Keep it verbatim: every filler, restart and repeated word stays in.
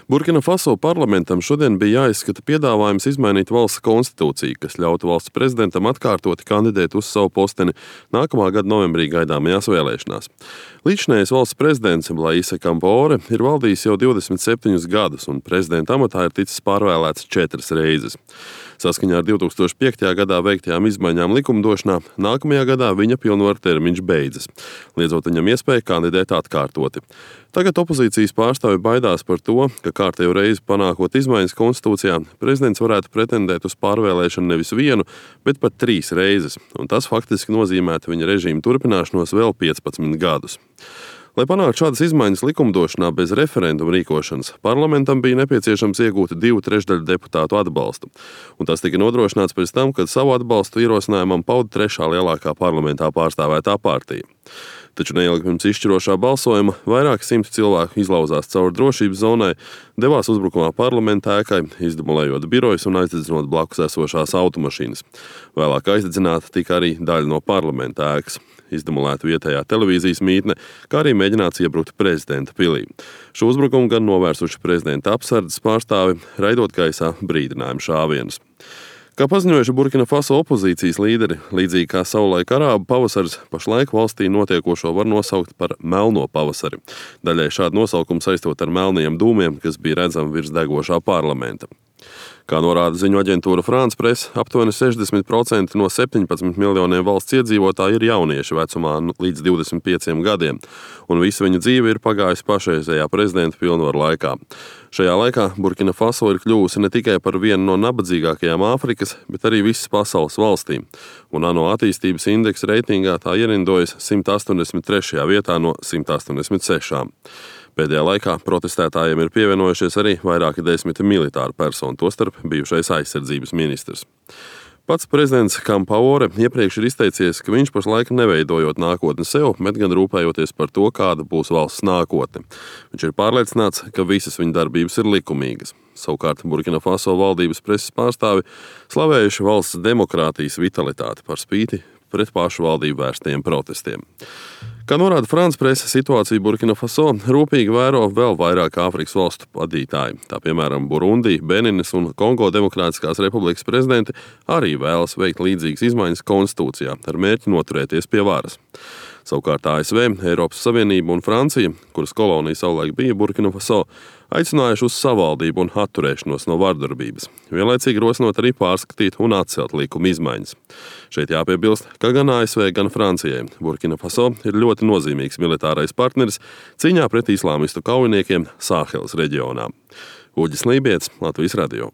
Burkina Faso parlamentam šodien bija jāizskata piedāvājums izmainīt valsts konstitūciju, kas ļautu valsts prezidentam atkārtoti kandidēt uz savu posteni nākamā gada novembrī gaidāmajās vēlēšanās. Līdzinējais valsts prezidents Blaise Compaoré ir valdījis jau divdesmit septiņus gadus, un prezidenta amatā ir ticis pārvēlēts četras reizes. Saskaņā ar divi tūkstoši piektajā gadā veiktajām izmaiņām likumdošanā, nākamajā gadā viņa pilnvaru termiņš beidzas, liedzot viņam iespēju kandidēt atkārtoti. Tagad opozīcijas pārstāvji baidās par to, ka kārtējo reizi panākot izmaiņas konstitūcijā, prezidents varētu pretendēt uz pārvēlēšanu nevis vienu, bet pat trīs reizes, un tas faktiski nozīmētu viņa režīma turpināšanos vēl piecpadsmit gadus. Lai panāktu šādas izmaiņas likumdošanā bez referenduma rīkošanas, parlamentam bija nepieciešams iegūt divu trešdaļu deputātu atbalstu, un tas tika nodrošināts pēc tam, kad savu atbalstu ierosinājumam pauda trešā lielākā parlamentā pārstāvētā partija. Taču neilgi pirms izšķirošā balsojuma vairāki simti cilvēku izlauzās cauri drošības zonai, devās uzbrukumā parlamenta ēkai, izdemolējot birojus un aizdedzinot blakus esošās automašīnas. Vēlāk aizdedzināta tika arī daļa no parlamenta ēkas. Izdemolēta vietējā televīzijas mītne, kā arī mēģināts iebrukt prezidenta pilī. Šo uzbrukumu gan novērsuši prezidenta apsardzes pārstāvi, raidot gaisā brīdinājumu šāvienus. Kā paziņojuši Burkina Faso opozīcijas līderi, līdzīgi kā savulaik arābu pavasaris, pašlaik valstī notiekošo var nosaukt par melno pavasari. Daļai šādu nosaukumu saistot ar melniem dūmiem, kas bija redzami virs degošā parlamenta. Kā norāda ziņu aģentūra France Press, aptuveni sešdesmit procenti no septiņpadsmit miljoniem valsts iedzīvotāji ir jaunieši vecumā līdz divdesmit pieciem gadiem, un visa viņu dzīve ir pagājusi pašreizējā prezidenta pilnvaru laikā. Šajā laikā Burkina Faso ir kļuvusi ne tikai par vienu no nabadzīgākajām Āfrikas, bet arī visas pasaules valstīm, un ANO attīstības indeksa reitingā tā ierindojas simt astoņdesmit trešajā vietā no simt astoņdesmit sešām. Pēdējā laikā protestētājiem ir pievienojušies arī vairāki desmiti militāru personu, tostarp bijušais aizsardzības ministrs. Pats prezidents Compaoré iepriekš ir izteicies, ka viņš pašlaik neveidojot nākotni sev, bet gan rūpējoties par to, kāda būs valsts nākotne. Viņš ir pārliecināts, ka visas viņa darbības ir likumīgas. Savukārt Burkina Faso valdības preses pārstāvi slavējuši valsts demokrātijas vitalitāti par spīti pret pašu valdību vērstajiem protestiem. Kā norāda France Presse, situāciju Burkina Faso rūpīgi vēro vēl vairāk Āfrikas valstu vadītāji. Tā piemēram Burundi, Beninas un Kongo Demokrātiskās republikas prezidenti arī vēlas veikt līdzīgas izmaiņas konstitūcijā ar mērķi noturēties pie varas. Savukārt A S V, Eiropas Savienība un Francija, kuras kolonija savulaik bija Burkina Faso, aicinājuši uz savaldību un atturēšanos no vardarbības, vienlaicīgi rosinot arī pārskatīt un atcelt likuma izmaiņas. Šeit jāpiebilst, ka gan A S V, gan Francijai Burkina Faso ir ļoti nozīmīgs militārais partneris cīņā pret islāmistu kaujiniekiem Sāheles reģionā. Uģis Lībietis, Latvijas radio.